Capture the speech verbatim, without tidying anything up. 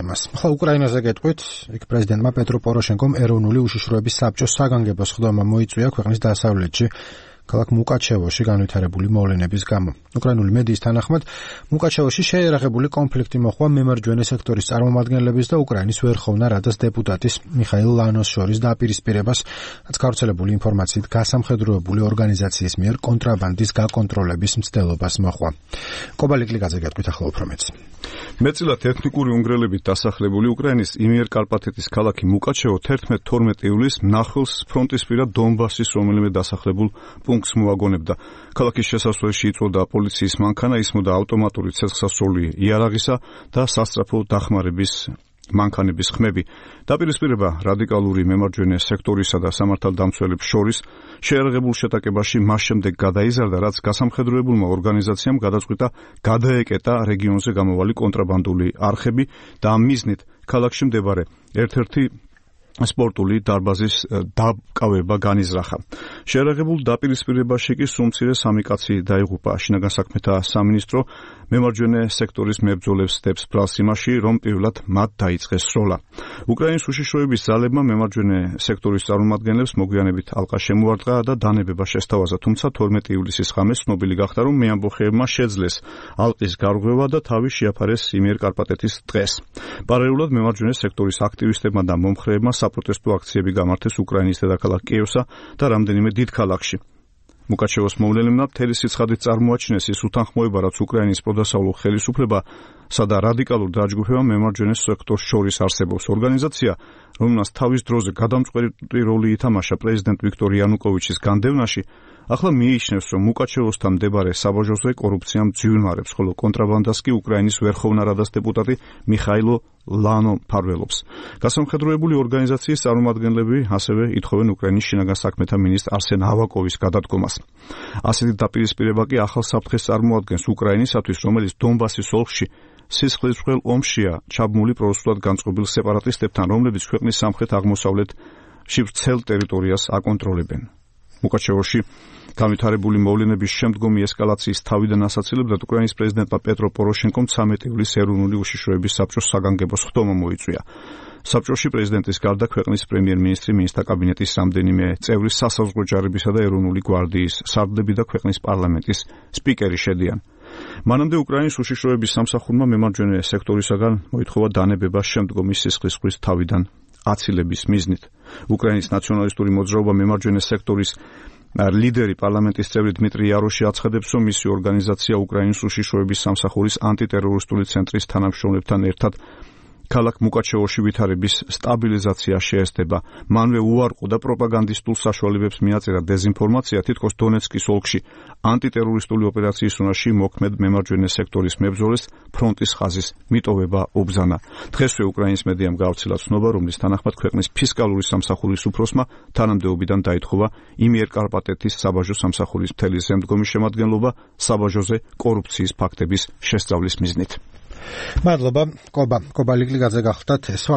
თემას. Ხო, უკრაინაზე გეტყვით, იქ პრეზიდენტმა პეტრო პოროშენკომ ეროვნული უშიშროების საბჭოს საგანგებო სხდომა მოიწვია ქვეყნის დასავლეთში, ქალაქ მუკაჩევოში განვითარებული მოვლენების გამო. უკრაინული მედიის თანახმად, მუკაჩევოში შეიარაღებული კონფლიქტი მოხდა მემარჯვენე სექტორის წარმომადგენლების და უკრაინის ვერხოვნა რადას დეპუტატის მიხაილ ლანოს შორის დაპირისპირებას, რაც გავრცელებული ინფორმაციით გასამხედროებული ორგანიზაციის მიერ კონტრაბანდის გაკონტროლების მცდელობას მოხდა. კობალიკლიძე გეტყვით ახლა უფრო მეც. მეტწილად ეთნიკური უნგრელებით დასახლებული უკრაინის იმიერკარპატეთის ქალაქი მუკაჩევო თერთმეტ თორმეტ ივლისს მნახველს ფრონტისპირა დონბასის რომელიმე დასახლებულ პუნქტს მოაგონებდა. ქალაქის შესასვლელში იწვოდა პოლიციის მანქანა, ისმოდა ავტომატური ცეცხლსასროლი იარაღისა და სასწრაფო დახმარების მანქანების ხმები. დაპირისპირება რადიკალური მემარჯვენე სექტორისა და სამართალდამცველებს შორის შეიარაღებულ შეტაკებაში მას შემდეგ გადაიზარდა, რაც გასამხედროებულმა ორგანიზაციამ გადაწყვიტა გადაეკეტა რეგიონზე გამოვალი კონტრაბანდული არხები და ამ მიზნით ქალაქში მდებარე ერთ-ერთი სპორტული დარბაზის დაკავება განიზრახა. შეიარაღებულ დაპირისპირებაში კი სულ მცირე სამი კაცი დაიღუპა. შინაგან საქმეთა სამინისტრო მემარჯვენე სექტორის მებრძოლებს დებს ბრალს იმაში, რომ პირველად მათ დაიწყეს სროლა. უკრაინის უშიშროების ძალებმა მემარჯვენე სექტორის წარმომადგენლებს მოგვიანებით ალყა შემოარტყა და დანებება შესთავაზა, თუმცა თორმეტი ივლისის ღამეს ცნობილი გახდა, რომ მეამბოხეებმა შეძლეს ალყის გარღვევა და თავი შეაფარეს იმიერკარპატეთის ტყეს. პარალელურად მემარჯვენე სექტორის აქტივისტებმა და მომხრეებმა საპროტესტო აქციები გამართეს უკრაინის დედაქალაქ კიევსა და რამდენიმე დიდ ქალაქში. მუკაჩევოს მოვლენებმა მთელი სიცხადით წარმოაჩინეს ის უთანხმოება, რაც უკრაინის პროდასავლურ ხელისუფლებასა და რადიკალურ დაჯგუფებამ მემარჯვენე სექტორს შორის არსებობს. ორგანიზაცია, რომელმაც თავის დროზე გადამწყვეტი როლი ითამაშა პრეზიდენტ ვიქტორ იანუკოვიჩის განდევნაში, ახლა მიიჩნევს, რომ მუკაჩევოსთან მდებარე საბაჟოზე კორუფცია მძვირმარებს, ხოლო კონტრაბანდას კი უკრაინის ვერხოვნა რადას დეპუტატი მიხაილო ლანო მფარველობს. გასამხედროებული ორგანიზაციის წარმომადგენლები ასევე ითხოვენ უკრაინის შინაგან საქმეთა მინისტრ არსენ ავაკოვის გადადგომას. ასეთი დაპირისპირება კი ახალ საფრთხეს წარმოადგენს უკრაინისათვის, რომელიც დონბასის ოლქში სისხლისმღვრელ ომშია ჩაბმული პრორუსულად განწყობილ სეპარატისტებთან, რომლებიც ქვეყნის სამხრეთ-აღმოსავლეთში ვრცელ ტერიტორიას აკონტროლებენ. მუკაჩევოში განვითარებული მოვლენების შემდგომი ესკალაციის თავიდან ასაცილებლად უკრაინის პრეზიდენტმა პეტრო პოროშენკომ ცამეტი ივლისს ეროვნული უშიშროების საბჭოს საგანგებო სხდომა მოიწვია. საბჭოში პრეზიდენტის გარდა ქვეყნის პრემიერ-მინისტრი, მინისტრთა კაბინეტის რამდენიმე წევრი, სასაზღვრო ჯარებისა და ეროვნული გვარდიის სარდლები და ქვეყნის პარლამენტის სპიკერი შედიან. მანამდე უკრაინის უშიშროების სამსახურმა მემარჯვენე სექტორისაგან მოითხოვა დანებება შემდგომი სისხლისღვრვის თავიდან აცილების მიზნით. უკრაინის ნაციონალისტური მოძრაობა მემარჯვენე სექტორის ლიდერი პარლამენტის წევრი დმიტრი იაროში აცხადებს, რომ მისი ორგანიზაცია უკრაინის უშიშროების სამსახურის ანტიტერორისტული ცენტრის თანამშრომლებთან ერთად ქალაქ მუკაჩევოში ვითარების სტაბილიზაცია შეესწება. მანვე უარყო და პროპაგანდისტულ საშუალებებს მიაწერა დეზინფორმაცია, თითქოს დონეცკის ოლქში ანტიტერორისტული ოპერაციის უნარში მოქმედ მემარჯვენე სექტორის მებრძოლეს ფრონტის ხაზის მიტოვება უბრძანა. დღესვე უკრაინის მედიამ გავრცელა ცნობა, რომლის თანახმად ქვეყნის ფისკალური სამსახურის უფროსმა თანამდებობიდან დაითხოვა იმიერკარპატეთის საბაჟო სამსახურის მთელი შემდგომი შემადგენლობა საბაჟოზე კორუფციის ფაქტების შესწავლის მიზნით. მადლობა, კობა, კობალიკლიძე გახდათ ეს